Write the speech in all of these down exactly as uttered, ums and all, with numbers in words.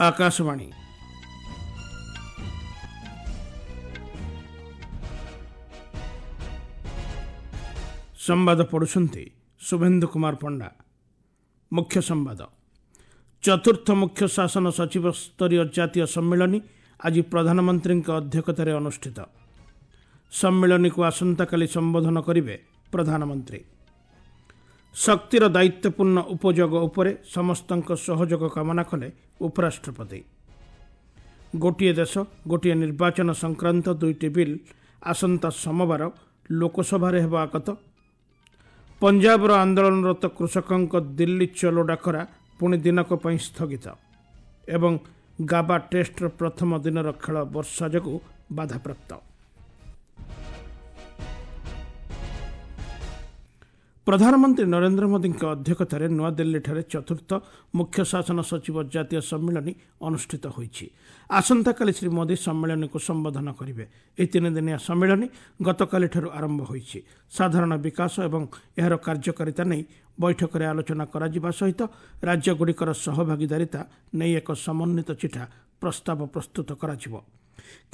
ଆକାଶବାଣୀ। ସମ୍ବାଦ ପଢ଼ୁଛନ୍ତି ଶୁଭେନ୍ଦୁ କୁମାର ପଣ୍ଡା। ମୁଖ୍ୟ ସମ୍ବାଦ। ଚତୁର୍ଥ ମୁଖ୍ୟ ଶାସନ ସଚିବ ସ୍ତରୀୟ ଜାତୀୟ ସମ୍ମିଳନୀ ଆଜି ପ୍ରଧାନମନ୍ତ୍ରୀଙ୍କ ଅଧ୍ୟକ୍ଷତାରେ ଅନୁଷ୍ଠିତ। ସମ୍ମିଳନୀକୁ ଆସନ୍ତାକାଲି ସମ୍ବୋଧନ କରିବେ ପ୍ରଧାନମନ୍ତ୍ରୀ। ଶକ୍ତିର ଦାୟିତ୍ୱପୂର୍ଣ୍ଣ ଉପଯୋଗ ଉପରେ ସମସ୍ତଙ୍କ ସହଯୋଗ କାମନା କଲେ ଉପରାଷ୍ଟ୍ରପତି। ଗୋଟିଏ ଦେଶ ଗୋଟିଏ ନିର୍ବାଚନ ସଂକ୍ରାନ୍ତ ଦୁଇଟି ବିଲ୍ ଆସନ୍ତା ସୋମବାର ଲୋକସଭାରେ ହେବ ଆଗତ। ପଞ୍ଜାବର ଆନ୍ଦୋଳନରତ କୃଷକଙ୍କ ଦିଲ୍ଲୀ ଚଲୋ ଡାକରା ପୁଣି ଦିନକ ପାଇଁ ସ୍ଥଗିତ। ଏବଂ ଗାବା ଟେଷ୍ଟର ପ୍ରଥମ ଦିନର ଖେଳ ବର୍ଷା ଯୋଗୁଁ ବାଧାପ୍ରାପ୍ତ। ପ୍ରଧାନମନ୍ତ୍ରୀ ନରେନ୍ଦ୍ର ମୋଦିଙ୍କ ଅଧ୍ୟକ୍ଷତାରେ ନୂଆଦିଲ୍ଲୀଠାରେ ଚତୁର୍ଥ ମୁଖ୍ୟ ଶାସନ ସଚିବ ଜାତୀୟ ସମ୍ମିଳନୀ ଅନୁଷ୍ଠିତ ହୋଇଛି। ଆସନ୍ତାକାଲି ଶ୍ରୀ ମୋଦି ସମ୍ମିଳନୀକୁ ସମ୍ବୋଧନ କରିବେ। ଏହି ତିନିଦିନିଆ ସମ୍ମିଳନୀ ଗତକାଲିଠାରୁ ଆରମ୍ଭ ହୋଇଛି। ସାଧାରଣ ବିକାଶ ଏବଂ ଏହାର କାର୍ଯ୍ୟକାରିତା ନେଇ ବୈଠକରେ ଆଲୋଚନା କରାଯିବା ସହିତ ରାଜ୍ୟଗୁଡ଼ିକର ସହଭାଗିଦାରିତା ନେଇ ଏକ ସମନ୍ୱିତ ଚିଠା ପ୍ରସ୍ତାବ ପ୍ରସ୍ତୁତ କରାଯିବ।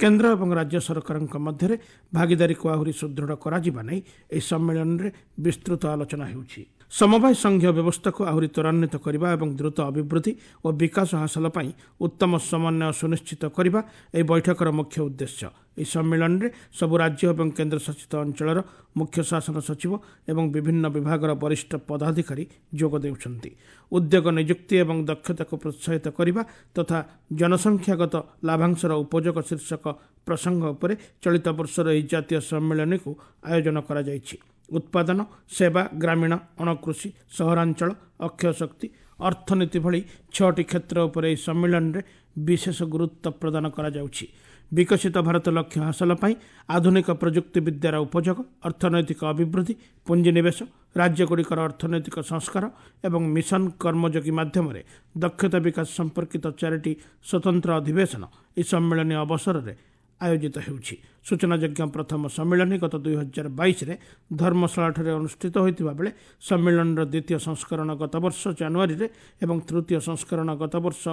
କେନ୍ଦ୍ର ଏବଂ ରାଜ୍ୟ ସରକାରଙ୍କ ମଧ୍ୟରେ ଭାଗିଦାରୀକୁ ଆହୁରି ସୁଦୃଢ଼ କରାଯିବା ନେଇ ଏହି ସମ୍ମିଳନୀରେ ବିସ୍ତୃତ ଆଲୋଚନା ହେଉଛି। ସମବାୟ ସଂଘୀୟ ବ୍ୟବସ୍ଥାକୁ ଆହୁରି ତ୍ୱରାନ୍ୱିତ କରିବା ଏବଂ ଦ୍ରୁତ ଅଭିବୃଦ୍ଧି ଓ ବିକାଶ ହାସଲ ପାଇଁ ଉତ୍ତମ ସମନ୍ୱୟ ସୁନିଶ୍ଚିତ କରିବା ଏହି ବୈଠକର ମୁଖ୍ୟ ଉଦ୍ଦେଶ୍ୟ। ଏହି ସମ୍ମିଳନୀରେ ସବୁ ରାଜ୍ୟ ଏବଂ କେନ୍ଦ୍ରଶାସିତ ଅଞ୍ଚଳର ମୁଖ୍ୟ ଶାସନ ସଚିବ ଏବଂ ବିଭିନ୍ନ ବିଭାଗର ବରିଷ୍ଠ ପଦାଧିକାରୀ ଯୋଗ ଦେଉଛନ୍ତି। ଉଦ୍ୟୋଗ ନିଯୁକ୍ତି ଏବଂ ଦକ୍ଷତାକୁ ପ୍ରୋତ୍ସାହିତ କରିବା ତଥା ଜନସଂଖ୍ୟାଗତ ଲାଭାଂଶର ଉପଯୋଗ ଶୀର୍ଷକ ପ୍ରସଙ୍ଗ ଉପରେ ଚଳିତ ବର୍ଷର ଏହି ଜାତୀୟ ସମ୍ମିଳନୀକୁ ଆୟୋଜନ କରାଯାଇଛି। ଉତ୍ପାଦନ, ସେବା, ଗ୍ରାମୀଣ, ଅଣକୃଷି, ସହରାଞ୍ଚଳ, ଅକ୍ଷୟ ଶକ୍ତି, ଅର୍ଥନୀତି ଭଳି ଛଅଟି କ୍ଷେତ୍ର ଉପରେ ଏହି ସମ୍ମିଳନୀରେ ବିଶେଷ ଗୁରୁତ୍ୱ ପ୍ରଦାନ କରାଯାଉଛି। ବିକଶିତ ଭାରତ ଲକ୍ଷ୍ୟ ହାସଲ ପାଇଁ ଆଧୁନିକ ପ୍ରଯୁକ୍ତିବିଦ୍ୟାର ଉପଯୋଗ, ଅର୍ଥନୈତିକ ଅଭିବୃଦ୍ଧି, ପୁଞ୍ଜିନିବେଶ, ରାଜ୍ୟଗୁଡ଼ିକର ଅର୍ଥନୈତିକ ସଂସ୍କାର ଏବଂ ମିଶନ କର୍ମଯୋଗୀ ମାଧ୍ୟମରେ ଦକ୍ଷତା ବିକାଶ ସମ୍ପର୍କିତ ଚାରିଟି ସ୍ୱତନ୍ତ୍ର ଅଧିବେଶନ ଏହି ସମ୍ମିଳନୀ ଅବସରରେ ଆୟୋଜିତ ହେଉଛି। ସୂଚନାଯୋଗ୍ୟ, ପ୍ରଥମ ସମ୍ମିଳନୀ ଗତ ଦୁଇ ହଜାର ବାଇଶରେ ଧର୍ମଶାଳାଠାରେ ଅନୁଷ୍ଠିତ ହୋଇଥିବା ବେଳେ ସମ୍ମିଳନୀର ଦ୍ୱିତୀୟ ସଂସ୍କରଣ ଗତବର୍ଷ ଜାନୁଆରୀରେ ଏବଂ ତୃତୀୟ ସଂସ୍କରଣ ଗତବର୍ଷ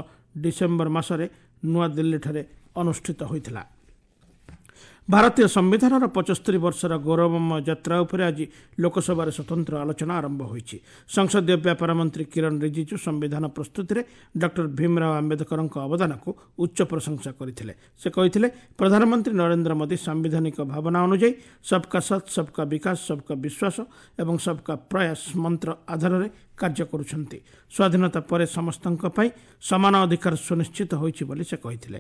ଡିସେମ୍ବର ମାସରେ ନୂଆଦିଲ୍ଲୀଠାରେ ଅନୁଷ୍ଠିତ ହୋଇଥିଲା। ଭାରତୀୟ ସମ୍ବିଧାନର ପଞ୍ଚସ୍ତରୀ ବର୍ଷର ଗୌରବମୟ ଯାତ୍ରା ଉପରେ ଆଜି ଲୋକସଭାରେ ସ୍ୱତନ୍ତ୍ର ଆଲୋଚନା ଆରମ୍ଭ ହୋଇଛି। ସଂସଦୀୟ ବ୍ୟାପାର ମନ୍ତ୍ରୀ କିରଣ ରିଜିଜୁ ସମ୍ବିଧାନ ପ୍ରସ୍ତୁତିରେ ଡକ୍ଟର ଭୀମରାଓ ଆମ୍ବେଦକରଙ୍କ ଅବଦାନକୁ ଉଚ୍ଚ ପ୍ରଶଂସା କରିଥିଲେ। ସେ କହିଥିଲେ, ପ୍ରଧାନମନ୍ତ୍ରୀ ନରେନ୍ଦ୍ର ମୋଦି ସାମ୍ବିଧାନିକ ଭାବନା ଅନୁଯାୟୀ ସବକା ସାଥ, ସବକା ବିକାଶ, ସବକା ବିଶ୍ୱାସ ଏବଂ ସବକା ପ୍ରୟାସ ମନ୍ତ୍ର ଆଧାରରେ କାର୍ଯ୍ୟ କରୁଛନ୍ତି। ସ୍ୱାଧୀନତା ପରେ ସମସ୍ତଙ୍କ ପାଇଁ ସମାନ ଅଧିକାର ସୁନିଶ୍ଚିତ ହୋଇଛି ବୋଲି ସେ କହିଥିଲେ।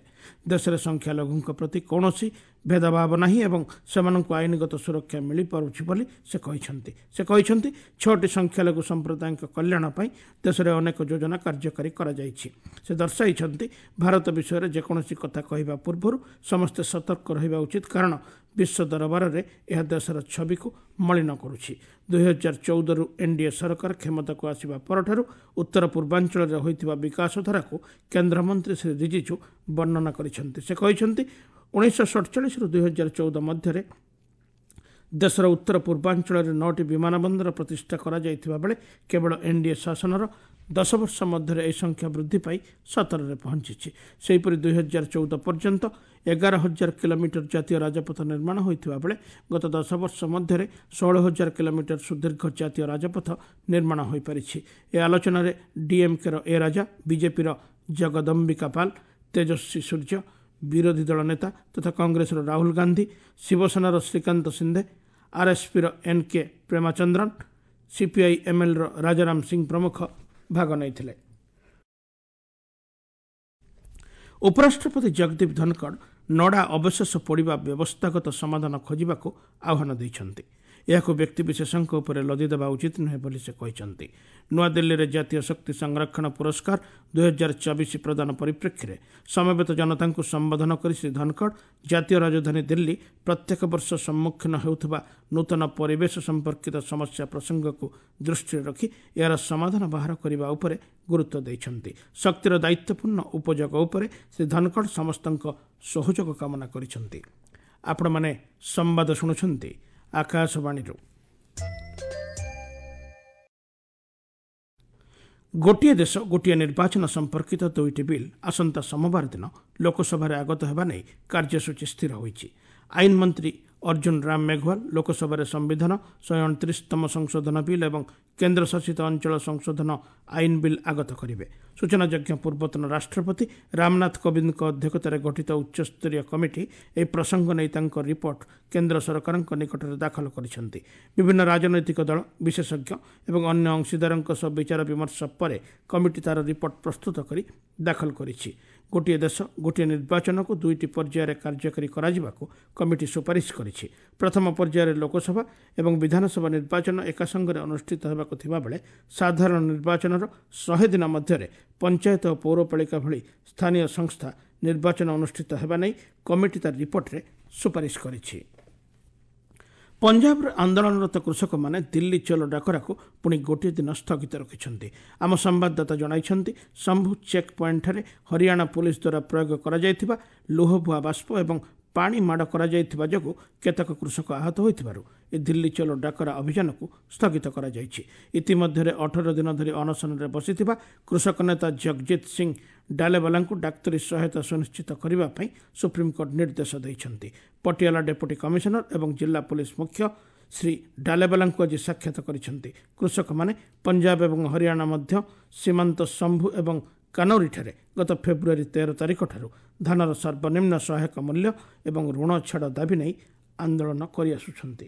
ଦେଶରେ ସଂଖ୍ୟାଲଘୁଙ୍କ ପ୍ରତି କୌଣସି ଭେଦଭାବ ନାହିଁ ଏବଂ ସେମାନଙ୍କୁ ଆଇନଗତ ସୁରକ୍ଷା ମିଳିପାରୁଛି ବୋଲି ସେ କହିଛନ୍ତି। ସେ କହିଛନ୍ତି, ଛଅଟି ସଂଖ୍ୟାଲଘୁ ସମ୍ପ୍ରଦାୟଙ୍କ କଲ୍ୟାଣ ପାଇଁ ଦେଶରେ ଅନେକ ଯୋଜନା କାର୍ଯ୍ୟକାରୀ କରାଯାଇଛି। ସେ ଦର୍ଶାଇଛନ୍ତି, ଭାରତ ବିଷୟରେ ଯେକୌଣସି କଥା କହିବା ପୂର୍ବରୁ ସମସ୍ତେ ସତର୍କ ରହିବା ଉଚିତ, କାରଣ ବିଶ୍ୱ ଦରବାରରେ ଏହା ଦେଶର ଛବିକୁ ମଳିନ କରୁଛି। ଦୁଇ ହଜାର ଚଉଦରୁ ଏନ୍ଡିଏ ସରକାର କ୍ଷମତାକୁ ଆସିବା ପରଠାରୁ ଉତ୍ତର ପୂର୍ବାଞ୍ଚଳରେ ହୋଇଥିବା ବିକାଶଧାରାକୁ କେନ୍ଦ୍ରମନ୍ତ୍ରୀ ଶ୍ରୀ ରିଜିଜୁ ବର୍ଣ୍ଣନା କରିଛନ୍ତି। ସେ କହିଛନ୍ତି, ଉଣେଇଶହ ସଡ଼ଚାଳିଶରୁ ଦୁଇ ହଜାର ଚଉଦ ମଧ୍ୟରେ ଦେଶର ଉତ୍ତର ପୂର୍ବାଞ୍ଚଳରେ ନଅଟି ବିମାନ ବନ୍ଦର ପ୍ରତିଷ୍ଠା କରାଯାଇଥିବା ବେଳେ କେବଳ ଏନ୍ଡିଏ ଶାସନର ଦଶ ବର୍ଷ ମଧ୍ୟରେ ଏହି ସଂଖ୍ୟା ବୃଦ୍ଧି ପାଇ ସତରରେ ପହଞ୍ଚିଛି। ସେହିପରି ଦୁଇ ହଜାର ଚଉଦ ପର୍ଯ୍ୟନ୍ତ ଏଗାର ହଜାର କିଲୋମିଟର ଜାତୀୟ ରାଜପଥ ନିର୍ମାଣ ହୋଇଥିବା ବେଳେ ଗତ ଦଶ ବର୍ଷ ମଧ୍ୟରେ ଷୋହଳ ହଜାର କିଲୋମିଟର ସୁଦୀର୍ଘ ଜାତୀୟ ରାଜପଥ ନିର୍ମାଣ ହୋଇପାରିଛି। ଏ ଆଲୋଚନାରେ ଡିଏମ୍କେର ଏ ରାଜା, ବିଜେପିର ଜଗଦମ୍ବିକା ପାଲ, ତେଜସ୍ୱୀ ସୂର୍ଯ୍ୟ, ବିରୋଧୀ ଦଳ ନେତା ତଥା କଂଗ୍ରେସର ରାହୁଲ ଗାନ୍ଧୀ, ଶିବସେନାର ଶ୍ରୀକାନ୍ତ ସିନ୍ଧେ, ଆର୍ଏସ୍ପିର ଏନ୍ କେ ପ୍ରେମାଚନ୍ଦ୍ରନ୍, ସିପିଆଇ ଏମ୍ଏଲ୍ର ରାଜାରାମ ସିଂ ପ୍ରମୁଖ ଭାଗ ନେଇଥିଲେ। ଉପରାଷ୍ଟ୍ରପତି ଜଗଦୀପ ଧନଖଡ଼ ନଡ଼ା ଅବଶେଷ ପୋଡ଼ିବା ବ୍ୟବସ୍ଥାଗତ ସମାଧାନ ଖୋଜିବାକୁ ଆହ୍ୱାନ ଦେଇଛନ୍ତି। ଏହାକୁ ବ୍ୟକ୍ତିବିଶେଷଙ୍କ ଉପରେ ଲଦି ଦେବା ଉଚିତ ନୁହେଁ ବୋଲି ସେ କହିଛନ୍ତି। ନୂଆଦିଲ୍ଲୀରେ ଜାତୀୟ ଶକ୍ତି ସଂରକ୍ଷଣ ପୁରସ୍କାର ଦୁଇ ହଜାର ଚବିଶ ପ୍ରଦାନ ପରିପ୍ରେକ୍ଷୀରେ ସମବେତ ଜନତାଙ୍କୁ ସମ୍ବୋଧନ କରି ଶ୍ରୀ ଧନଖଡ଼ ଜାତୀୟ ରାଜଧାନୀ ଦିଲ୍ଲୀ ପ୍ରତ୍ୟେକ ବର୍ଷ ସମ୍ମୁଖୀନ ହେଉଥିବା ନୂତନ ପରିବେଶ ସମ୍ପର୍କିତ ସମସ୍ୟା ପ୍ରସଙ୍ଗକୁ ଦୃଷ୍ଟିରେ ରଖି ଏହାର ସମାଧାନ ବାହାର କରିବା ଉପରେ ଗୁରୁତ୍ୱ ଦେଇଛନ୍ତି। ଶକ୍ତିର ଦାୟିତ୍ୱପୂର୍ଣ୍ଣ ଉପଯୋଗ ଉପରେ ଶ୍ରୀ ଧନଖଡ଼ ସମସ୍ତଙ୍କ ସହଯୋଗ କାମନା କରିଛନ୍ତି। ଆପଣମାନେ ସମ୍ବାଦ ଶୁଣୁଛନ୍ତି ଆକାଶବାଣୀରୁ। ଗୋଟିଏ ଦେଶ ଗୋଟିଏ ନିର୍ବାଚନ ସମ୍ପର୍କିତ ଦୁଇଟି ବିଲ୍ ଆସନ୍ତା ସୋମବାର ଦିନ ଲୋକସଭାରେ ଆଗତ ହେବା ନେଇ କାର୍ଯ୍ୟସୂଚୀ ସ୍ଥିର ହୋଇଛି। ଆଇନ ମନ୍ତ୍ରୀ ଅର୍ଜୁନ ରାମ ମେଘୱାଲ ଲୋକସଭାରେ ସମ୍ବିଧାନ ଶହେ ଅଣତିରିଶତମ ସଂଶୋଧନ ବିଲ୍ ଏବଂ କେନ୍ଦ୍ରଶାସିତ ଅଞ୍ଚଳ ସଂଶୋଧନ ଆଇନ ବିଲ୍ ଆଗତ କରିବେ। ସୂଚନାଯୋଗ୍ୟ, ପୂର୍ବତନ ରାଷ୍ଟ୍ରପତି ରାମନାଥ କୋବିନ୍ଦଙ୍କ ଅଧ୍ୟକ୍ଷତାରେ ଗଠିତ ଉଚ୍ଚସ୍ତରୀୟ କମିଟି ଏହି ପ୍ରସଙ୍ଗ ନେଇ ତାଙ୍କ ରିପୋର୍ଟ କେନ୍ଦ୍ର ସରକାରଙ୍କ ନିକଟରେ ଦାଖଲ କରିଛନ୍ତି। ବିଭିନ୍ନ ରାଜନୈତିକ ଦଳ, ବିଶେଷଜ୍ଞ ଏବଂ ଅନ୍ୟ ଅଂଶୀଦାରଙ୍କ ସହ ବିଚାର ବିମର୍ଶ ପରେ କମିଟି ତା'ର ରିପୋର୍ଟ ପ୍ରସ୍ତୁତ କରି ଦାଖଲ କରିଛି। ଗୋଟିଏ ଦେଶ ଗୋଟିଏ ନିର୍ବାଚନକୁ ଦୁଇଟି ପର୍ଯ୍ୟାୟରେ କାର୍ଯ୍ୟକାରୀ କରାଯିବାକୁ କମିଟି ସୁପାରିଶ କରିଛି। ପ୍ରଥମ ପର୍ଯ୍ୟାୟରେ ଲୋକସଭା ଏବଂ ବିଧାନସଭା ନିର୍ବାଚନ ଏକାସଙ୍ଗରେ ଅନୁଷ୍ଠିତ ହେବାକୁ ଥିବାବେଳେ ସାଧାରଣ ନିର୍ବାଚନର ଶହେ ଦିନ ମଧ୍ୟରେ ପଞ୍ଚାୟତ ଓ ପୌରପାଳିକା ଭଳି ସ୍ଥାନୀୟ ସଂସ୍ଥା ନିର୍ବାଚନ ଅନୁଷ୍ଠିତ ହେବା ନେଇ କମିଟି ତାର ରିପୋର୍ଟରେ ସୁପାରିଶ କରିଛି। ପଞ୍ଜାବର ଆନ୍ଦୋଳନରତ କୃଷକମାନେ ଦିଲ୍ଲୀ ଚଲୋ ଡାକରାକୁ ପୁଣି ଗୋଟିଏ ଦିନ ସ୍ଥଗିତ ରଖିଛନ୍ତି। ଆମ ସମ୍ବାଦଦାତା ଜଣାଇଛନ୍ତି, ଶମ୍ଭୁ ଚେକ୍ ପଏଣ୍ଟଠାରେ ହରିୟାଣା ପୋଲିସ ଦ୍ୱାରା ପ୍ରୟୋଗ କରାଯାଇଥିବା ଲୁହବୁହା ବାଷ୍ପ ଏବଂ ପାଣି ମାଡ଼ କରାଯାଇଥିବା ଯୋଗୁଁ କେତେକ କୃଷକ ଆହତ ହୋଇଥିବାରୁ ଏ ଦିଲ୍ଲୀ ଚଲୋ ଡାକରା ଅଭିଯାନକୁ ସ୍ଥଗିତ କରାଯାଇଛି। ଇତିମଧ୍ୟରେ ଅଠର ଦିନ ଧରି ଅନଶନରେ ବସିଥିବା କୃଷକ ନେତା ଜଗଜିତ ସିଂ ଡାଲେବାଲାଙ୍କୁ ଡାକ୍ତରୀ ସହାୟତା ସୁନିଶ୍ଚିତ କରିବା ପାଇଁ ସୁପ୍ରିମକୋର୍ଟ ନିର୍ଦ୍ଦେଶ ଦେଇଛନ୍ତି। ପଟିଆଲା ଡେପୁଟି କମିଶନର ଏବଂ ଜିଲ୍ଲା ପୋଲିସ ମୁଖ୍ୟ ଶ୍ରୀ ଡାଲେବାଲାଙ୍କୁ ଆଜି ସାକ୍ଷାତ କରିଛନ୍ତି। କୃଷକମାନେ ପଞ୍ଜାବ ଏବଂ ହରିୟାଣା ମଧ୍ୟ ସୀମାନ୍ତ ଶମ୍ଭୁ ଏବଂ କାନୌରୀଠାରେ ଗତ ଫେବୃଆରୀ ତେର ତାରିଖଠାରୁ ଧାନର ସର୍ବନିମ୍ନ ସହାୟକ ମୂଲ୍ୟ ଏବଂ ଋଣ ଛାଡ଼ ଦାବି ନେଇ ଆନ୍ଦୋଳନ କରିଆସୁଛନ୍ତି।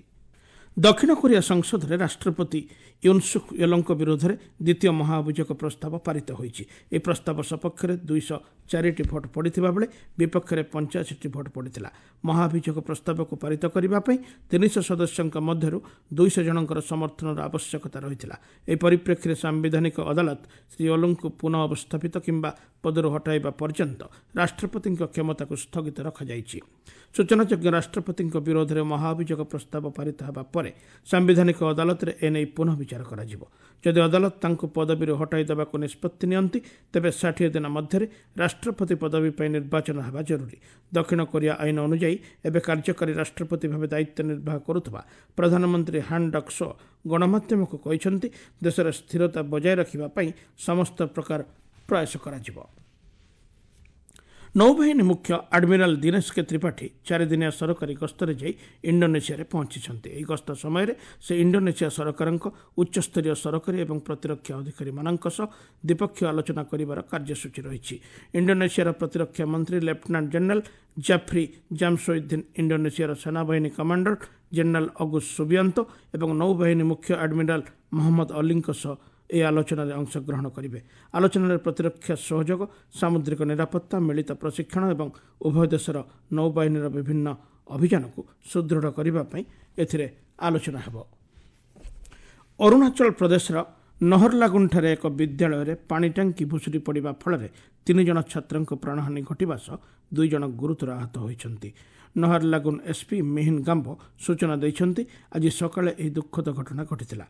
ଦକ୍ଷିଣ କୋରିଆ ସଂସଦରେ ରାଷ୍ଟ୍ରପତି ୟୁନସୁକ୍ ୟୋଲଙ୍କ ବିରୋଧରେ ଦ୍ୱିତୀୟ ମହାଅଭିଯୋଗ ପ୍ରସ୍ତାବ ପାରିତ ହୋଇଛି। ଏହି ପ୍ରସ୍ତାବ ସପକ୍ଷରେ ଦୁଇଶହ ଚାରିଟି ଭୋଟ୍ ପଡ଼ିଥିବା ବେଳେ ବିପକ୍ଷରେ ପଞ୍ଚାଅଶୀଟି ଭୋଟ୍ ପଡ଼ିଥିଲା। ମହାଅଭିଯୋଗ ପ୍ରସ୍ତାବକୁ ପାରିତ କରିବା ପାଇଁ ତିନିଶହ ସଦସ୍ୟଙ୍କ ମଧ୍ୟରୁ ଦୁଇଶହ ଜଣଙ୍କର ସମର୍ଥନର ଆବଶ୍ୟକତା ରହିଥିଲା। ଏହି ପରିପ୍ରେକ୍ଷୀରେ ସାମ୍ବିଧାନିକ ଅଦାଲତ ଶ୍ରୀ ୟୋଲଙ୍କୁ ପୁନଃ ଅବସ୍ଥାପିତ କିମ୍ବା ପଦରୁ ହଟାଇବା ପର୍ଯ୍ୟନ୍ତ ରାଷ୍ଟ୍ରପତିଙ୍କ କ୍ଷମତାକୁ ସ୍ଥଗିତ ରଖାଯାଇଛି। ସୂଚନାଯୋଗ୍ୟ, ରାଷ୍ଟ୍ରପତିଙ୍କ ବିରୋଧରେ ମହାଅଭିଯୋଗ ପ୍ରସ୍ତାବ ପାରିତ ହେବା ପରେ ସାମ୍ବିଧାନିକ ଅଦାଲତରେ ଏନେଇ ପୁନଃ ବିଚାର କରାଯିବ। ଯଦି ଅଦାଲତ ତାଙ୍କୁ ପଦବୀରୁ ହଟାଇ ଦେବାକୁ ନିଷ୍ପତ୍ତି ନିଅନ୍ତି, ତେବେ ଷାଠିଏ ଦିନ ମଧ୍ୟରେ ରାଷ୍ଟ୍ରପତି ପଦବୀ ପାଇଁ ନିର୍ବାଚନ ହେବା ଜରୁରୀ। ଦକ୍ଷିଣ କୋରିଆ ଆଇନ ଅନୁଯାୟୀ ଏବେ କାର୍ଯ୍ୟକାରୀ ରାଷ୍ଟ୍ରପତି ଭାବେ ଦାୟିତ୍ୱ ନିର୍ବାହ କରୁଥିବା ପ୍ରଧାନମନ୍ତ୍ରୀ ହାନ୍ ଡକ୍ ସୋ ଗଣମାଧ୍ୟମକୁ କହିଛନ୍ତି, ଦେଶରେ ସ୍ଥିରତା ବଜାୟ ରଖିବା ପାଇଁ ସମସ୍ତ ପ୍ରକାର ପ୍ରୟାସ କରାଯିବ। ନୌବାହିନୀ ମୁଖ୍ୟ ଆଡମିରାଲ ଦୀନେଶ କେ ତ୍ରିପାଠୀ ଚାରିଦିନିଆ ସରକାରୀ ଗସ୍ତରେ ଯାଇ ଇଣ୍ଡୋନେସିଆରେ ପହଞ୍ଚିଛନ୍ତି। ଏହି ଗସ୍ତ ସମୟରେ ସେ ଇଣ୍ଡୋନେସିଆ ସରକାରଙ୍କ ଉଚ୍ଚସ୍ତରୀୟ ସରକାରୀ ଏବଂ ପ୍ରତିରକ୍ଷା ଅଧିକାରୀମାନଙ୍କ ସହ ଦ୍ୱିପକ୍ଷୀୟ ଆଲୋଚନା କରିବାର କାର୍ଯ୍ୟସୂଚୀ ରହିଛି। ଇଣ୍ଡୋନେସିଆର ପ୍ରତିରକ୍ଷା ମନ୍ତ୍ରୀ ଲେଫ୍ଟନାଣ୍ଟ ଜେନେରାଲ ଜାଫ୍ରି ଜାମସୋଇଦ୍ଦିନ, ଇଣ୍ଡୋନେସିଆର ସେନାବାହିନୀ କମାଣ୍ଡର ଜେନେରାଲ ଅଗୁସ ସୁବିଆନ୍ତୋ ଏବଂ ନୌବାହିନୀ ମୁଖ୍ୟ ଆଡମିରାଲ ମହମ୍ମଦ ଅଲିଙ୍କ ସହ ଏହି ଆଲୋଚନାରେ ଅଂଶଗ୍ରହଣ କରିବେ। ଆଲୋଚନାରେ ପ୍ରତିରକ୍ଷା ସହଯୋଗ, ସାମୁଦ୍ରିକ ନିରାପତ୍ତା, ମିଳିତ ପ୍ରଶିକ୍ଷଣ ଏବଂ ଉଭୟ ଦେଶର ନୌବାହିନୀର ବିଭିନ୍ନ ଅଭିଯାନକୁ ସୁଦୃଢ଼ କରିବା ପାଇଁ ଏଥିରେ ଆଲୋଚନା ହେବ। ଅରୁଣାଚଳ ପ୍ରଦେଶର ନହରଲାଗୁନଠାରେ ଏକ ବିଦ୍ୟାଳୟରେ ପାଣି ଟାଙ୍କି ଭୁଶୁଡ଼ି ପଡ଼ିବା ଫଳରେ ତିନି ଜଣ ଛାତ୍ରଙ୍କ ପ୍ରାଣହାନି ଘଟିବା ସହ ଦୁଇ ଜଣ ଗୁରୁତର ଆହତ ହୋଇଛନ୍ତି। ନହରଲାଗୁନ ଏସ୍ପି ମିହିନ ଗାମ୍ବୋ ସୂଚନା ଦେଇଛନ୍ତି, ଆଜି ସକାଳେ ଏହି ଦୁଃଖଦ ଘଟଣା ଘଟିଥିଲା।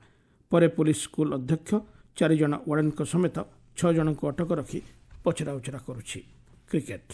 ପରେ ପୋଲିସ ସ୍କୁଲ ଅଧ୍ୟକ୍ଷ, ଚାରିଜଣ ୱାର୍ଡେନଙ୍କ ସମେତ ଛଅ ଜଣଙ୍କୁ ଅଟକ ରଖି ପଚରାଉଚରା କରୁଛି। କ୍ରିକେଟ,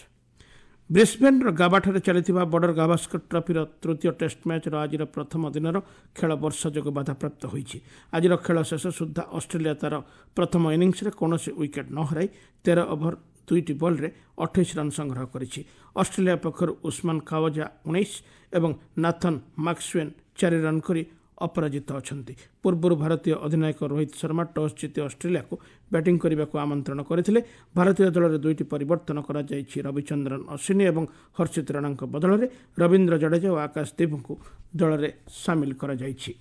ବ୍ରିସ୍ବେନ୍ର ଗାବାଠାରେ ଚାଲିଥିବା ବର୍ଡର ଗାଭାସ୍କର ଟ୍ରଫିର ତୃତୀୟ ଟେଷ୍ଟ ମ୍ୟାଚ୍ର ଆଜିର ପ୍ରଥମ ଦିନର ଖେଳ ବର୍ଷା ଯୋଗୁଁ ବାଧାପ୍ରାପ୍ତ ହୋଇଛି। ଆଜିର ଖେଳ ଶେଷ ସୁଦ୍ଧା ଅଷ୍ଟ୍ରେଲିଆ ତା'ର ପ୍ରଥମ ଇନିଂସରେ କୌଣସି ୱିକେଟ୍ ନ ହରାଇ ତେର ଓଭର ଦୁଇଟି ବଲ୍ରେ ଅଠେଇଶ ରନ୍ ସଂଗ୍ରହ କରିଛି। ଅଷ୍ଟ୍ରେଲିଆ ପକ୍ଷରୁ ଉସ୍ମାନ ଖାୱଜା ଉଣେଇଶ ଏବଂ ନାଥନ୍ ମାକ୍ସୱେନ୍ ଚାରି ରନ୍ କରି ଅପରାଜିତ ଅଛନ୍ତି। ପୂର୍ବରୁ ଭାରତୀୟ ଅଧିନାୟକ ରୋହିତ ଶର୍ମା ଟସ୍ ଜିତି ଅଷ୍ଟ୍ରେଲିଆକୁ ବ୍ୟାଟିଂ କରିବାକୁ ଆମନ୍ତ୍ରଣ କରିଥିଲେ। ଭାରତୀୟ ଦଳରେ ଦୁଇଟି ପରିବର୍ତ୍ତନ କରାଯାଇଛି। ରବିଚନ୍ଦ୍ରନ ଅଶ୍ୱିନୀ ଏବଂ ହର୍ଷିତ ରାଣାଙ୍କ ବଦଳରେ ରବୀନ୍ଦ୍ର ଜାଡେଜା ଓ ଆକାଶ ଦୀପଙ୍କୁ ଦଳରେ ସାମିଲ କରାଯାଇଛି।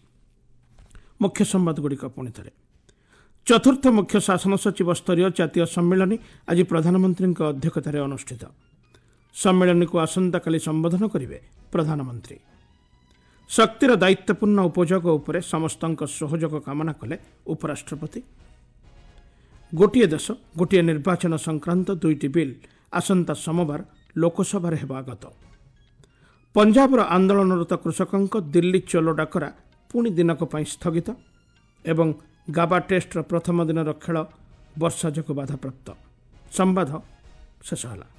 ମୁଖ୍ୟ ସମ୍ବାଦଗୁଡ଼ିକ ପୁଣି ଥରେ। ଚତୁର୍ଥ ମୁଖ୍ୟ ଶାସନ ସଚିବ ସ୍ତରୀୟ ଜାତୀୟ ସମ୍ମିଳନୀ ଆଜି ପ୍ରଧାନମନ୍ତ୍ରୀଙ୍କ ଅଧ୍ୟକ୍ଷତାରେ ଅନୁଷ୍ଠିତ। ସମ୍ମିଳନୀକୁ ଆସନ୍ତାକାଲି ସମ୍ବୋଧନ କରିବେ ପ୍ରଧାନମନ୍ତ୍ରୀ। ଶକ୍ତିର ଦାୟିତ୍ୱପୂର୍ଣ୍ଣ ଉପଯୋଗ ଉପରେ ସମସ୍ତଙ୍କ ସହଯୋଗ କାମନା କଲେ ଉପରାଷ୍ଟ୍ରପତି। ଗୋଟିଏ ଦେଶ ଗୋଟିଏ ନିର୍ବାଚନ ସଂକ୍ରାନ୍ତ ଦୁଇଟି ବିଲ୍ ଆସନ୍ତା ସୋମବାର ଲୋକସଭାରେ ହେବ ଆଗତ। ପଞ୍ଜାବର ଆନ୍ଦୋଳନରତ କୃଷକଙ୍କ ଦିଲ୍ଲୀ ଚଲୋ ଡାକରା ପୁଣି ଦିନକ ପାଇଁ ସ୍ଥଗିତ ଏବଂ ଗାବା ଟେଷ୍ଟର ପ୍ରଥମ ଦିନର ଖେଳ ବର୍ଷା ଯୋଗୁଁ ବାଧାପ୍ରାପ୍ତ। ସମ୍ବାଦ ଶେଷ ହେଲା।